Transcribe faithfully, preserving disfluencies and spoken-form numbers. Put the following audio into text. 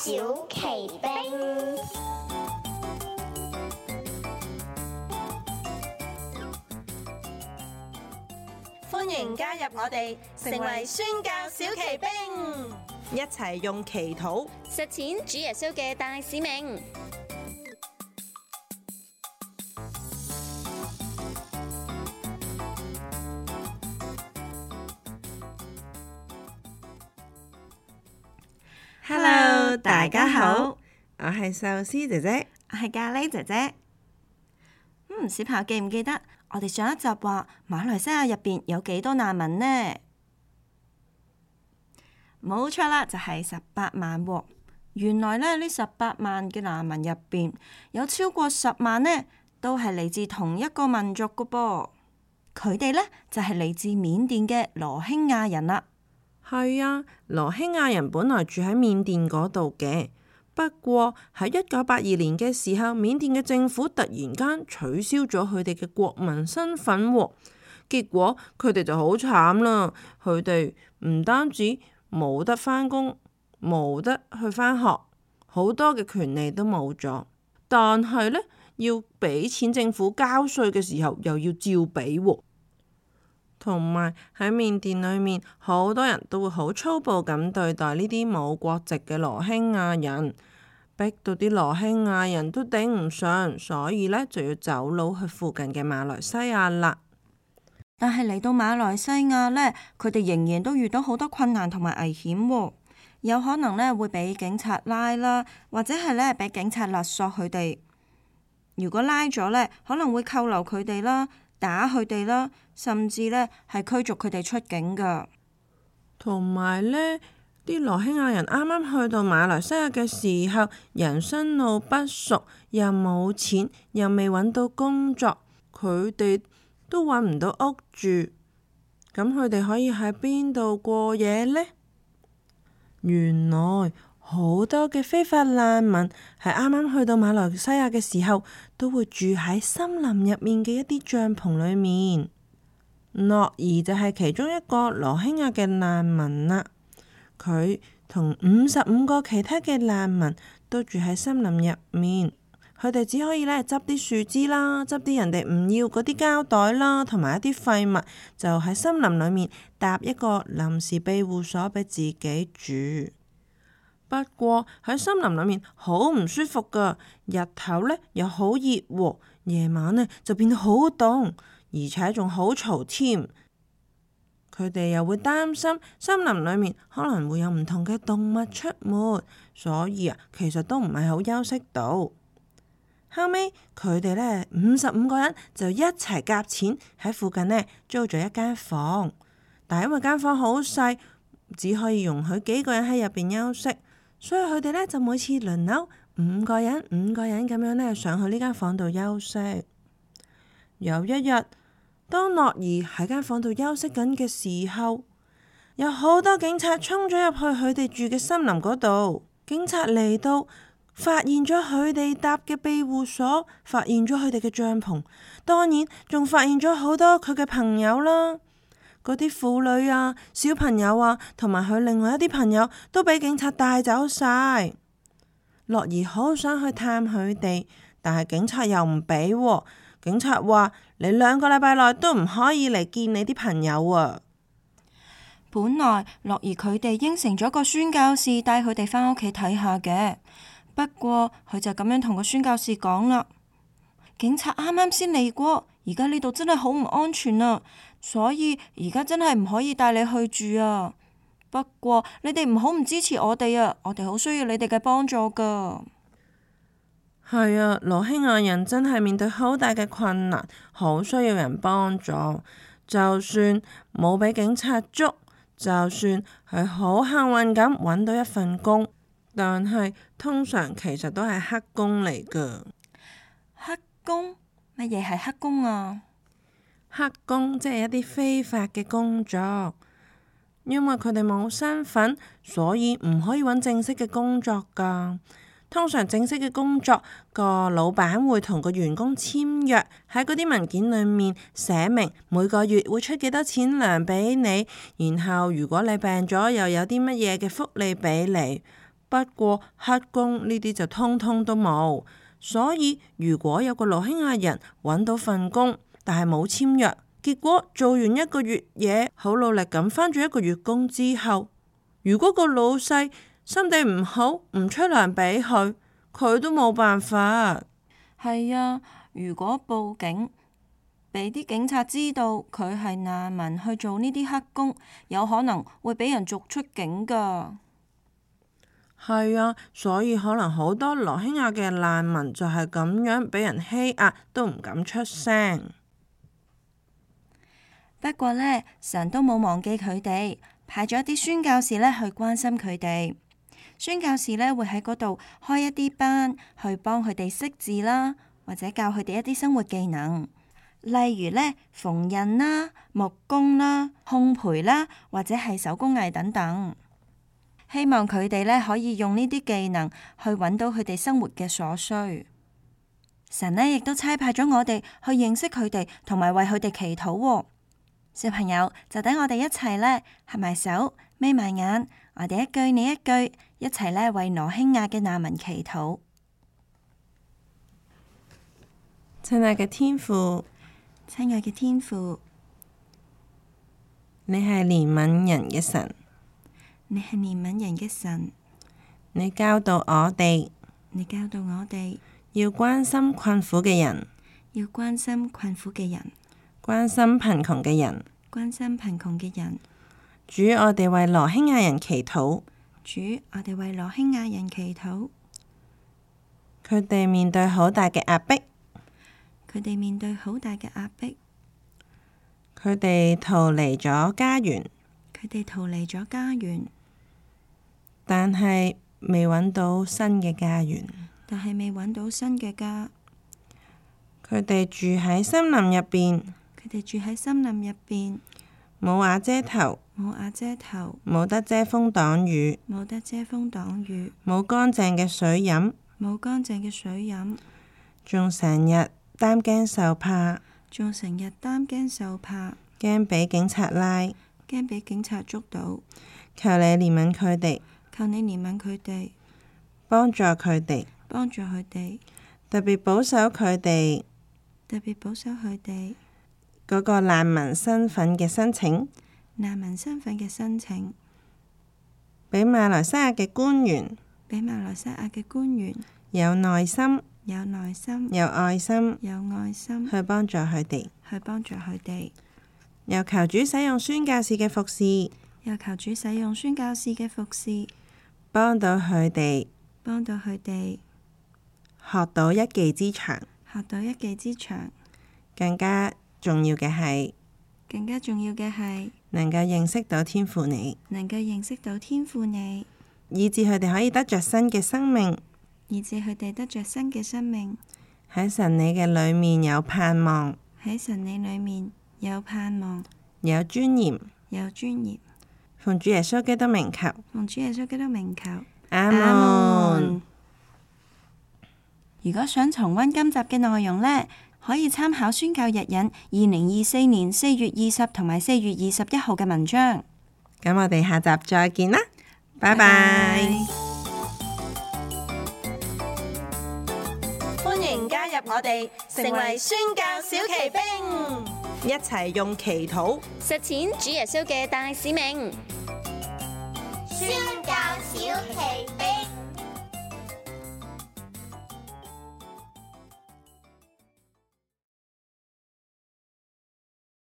小奇兵，歡迎加入我哋，成為宣教小奇兵，一齊用祈禱實踐主耶穌嘅大使命。Hello，大家好，我係壽司姐姐，我係咖喱姐姐。嗯，小朋友記唔記得我哋上一集話馬來西亞入邊有幾多難民呢？冇錯啦，就係十八萬喎。原來咧，呢十八萬嘅難民入邊有超過十萬呢，都係嚟自同一個民族噶噃。佢哋呢，就係嚟自緬甸嘅羅興亞人啦。係啊，羅興亞人本來住喺緬甸嗰度嘅，不過喺一九八二年嘅時候，緬甸嘅政府突然間取消咗佢哋嘅國民身份喎，結果佢哋就好慘啦。佢哋唔單止冇得返工，冇得去返學，好多嘅權利都冇咗。但係呢，要俾錢政府交稅嘅時候，又要照俾喎。同埋喺緬甸裏面，好多人都會好粗暴咁對待呢啲冇國籍嘅羅興亞人，逼到啲羅興亞人都頂唔順，所以呢就要走佬去附近嘅馬來西亞啦。但係嚟到馬來西亞呢，佢哋仍然都遇到好多困難同埋危險喎，有可能呢會俾警察拉啦，或者係呢俾警察勒索佢哋。如果拉咗呢，可能會扣留佢哋啦，打佢哋啦，甚至呢係驅逐佢哋出境噶。同埋呢啲羅興亞人啱啱去到馬來西亞嘅時候，人生路不熟，又冇錢，又未揾到工作，佢哋都揾唔到屋住，咁佢哋可以喺邊度過夜呢？原來好多嘅非法難民係啱啱去到馬來西亞嘅時候，都會住喺森林入面嘅一啲帳篷裏面。諾兒就係其中一個羅興亞嘅難民啦，佢同五十五個其他嘅難民都住喺森林入面，佢哋只可以咧執啲樹枝啦，執啲人哋唔要嗰啲膠袋啦，同埋一啲廢物，就喺森林裏面搭一個臨時庇護所俾自己住。不過喺森林裏面好唔舒服噶，日頭呢又好熱喎，夜晚呢就變到好凍，而且仲好嘈添。佢哋又會擔心森林裏面可能會有唔同嘅動物出沒，所以啊，其實都唔係好休息到。後尾佢哋呢五十五個人就一齊夾錢喺附近呢租咗一間房，但係因為間房好細，只可以容許幾個人喺入邊休息。所以佢哋呢就每次輪流五個人五個人咁樣呢上去呢間房度休息。有一日，當樂兒喺間房度休息緊嘅時候，有好多警察衝咗入去佢哋住嘅森林嗰度。警察嚟到，發現咗佢哋搭嘅庇護所，發現咗佢哋嘅帳篷，當然仲發現咗好多佢嘅朋友啦。嗰啲婦女啊、小朋友啊，同埋佢另外一啲朋友都俾警察帶走晒。樂兒好想去探佢哋，但係警察又唔俾喎。警察話：你兩個禮拜內都唔可以嚟見你啲朋友啊。本來樂兒佢哋應承咗個宣教士帶佢哋返屋企睇下嘅，不過佢就咁樣同個宣教士講啦：警察啱啱先嚟過，而家呢度真係好唔安全啊！所以而家真係唔可以帶你去住啊！不過你哋唔好唔支持我哋啊！我哋好需要你哋嘅幫助噶。係啊，羅興亞人真係面對好大嘅困難，好需要人幫助。就算冇俾警察捉，就算係好幸運咁揾到一份工，但係通常其實都係黑工嚟噶。黑工？乜嘢係黑工啊？黑工即係一啲非法嘅工作，因為佢哋冇身份，所以唔可以揾正式嘅工作噶。通常正式嘅工作，個老闆會同個員工簽約，喺嗰啲文件裏面寫明每個月會出幾多錢糧俾你，然後如果你病咗又有啲乜嘢嘅福利俾你。不過黑工呢啲就通通都冇。所以如果有個羅興亞人揾到份工，但係冇簽約，結果做完一個月嘢，好努力咁返咗一個月工之後，如果個老細心地唔好，唔出糧俾佢，佢都冇辦法。係啊，如果報警，俾啲警察知道佢係難民去做呢啲黑工，有可能會俾人逐出境㗎。係啊，所以可能好多羅興亞嘅難民就係咁樣俾人欺壓，都唔敢出聲。不過呢，神都冇忘記佢哋，派咗啲宣教士呢去關心佢哋。宣教士呢會喺嗰度開一啲班，去幫佢哋識字啦，或者教佢哋一啲生活技能，例如呢縫紉啦、木工啦、烘焙啦，或者係手工藝等等。希望佢哋呢可以用呢啲技能去揾到佢哋生活嘅所需。神呢亦都差派咗我哋去認識佢哋，同埋為佢哋祈禱喎。小朋友就等我哋一齊呢合埋手，眯埋眼，我哋一句你一句，一齊呢為羅興亞嘅難民祈禱。親愛嘅天父，親愛嘅天父，你係憐憫人嘅神，你係憐憫人嘅神，你教導我哋，你教導我哋要關心困苦嘅人，要關心困苦嘅人，關心貧窮嘅人。關心貧窮嘅人。主，我哋為羅興亞人祈禱。主，我哋為羅興亞人祈禱。佢哋面對好大嘅壓迫，佢哋面對好大嘅壓迫。佢哋逃離咗家園，佢哋逃離咗家園，但係未揾到新嘅家園。但係未揾到新嘅家。佢哋住喺森林入邊，佢哋住喺森林入邊，冇瓦遮頭，冇瓦遮頭，冇得遮風擋雨，冇得遮風擋雨，冇乾淨嘅水飲，冇乾淨嘅水飲，仲成日擔驚受怕，仲成日擔驚受怕，驚俾警察拉，驚俾警察捉到。求你憐憫佢哋，求你憐憫佢哋，幫助佢哋，幫助佢哋，特別保守佢哋特別保守佢哋嗰個難民身份嘅申請，難民身份嘅申請，俾馬來西亞嘅官員俾馬來西亞嘅官員有耐心、有耐心、有愛心有愛心去幫助佢哋。去幫助佢哋。又求主使用宣教士嘅服侍，又求主使用宣教士嘅服侍，幫到佢哋幫到佢哋學到一技之長。學到一技之長。更加重要嘅係，更加重要嘅係能夠認識到天父你，能夠認識到天父你，以致佢哋可以得着新嘅生命，以致佢哋得着新嘅生命。喺神你嘅裏面有盼望，喺神你裏面有盼望，有尊嚴，有尊嚴。奉主耶穌基督名求，奉主耶穌基督名求，阿門。如果想重溫今集嘅內容呢，可以參考宣教日引二零二四年四月二十同埋四月二十一號嘅文章。咁我哋下集再見啦，拜拜。歡迎加入我哋，成為宣教小騎兵，一齊用祈禱實踐主耶穌嘅大使命。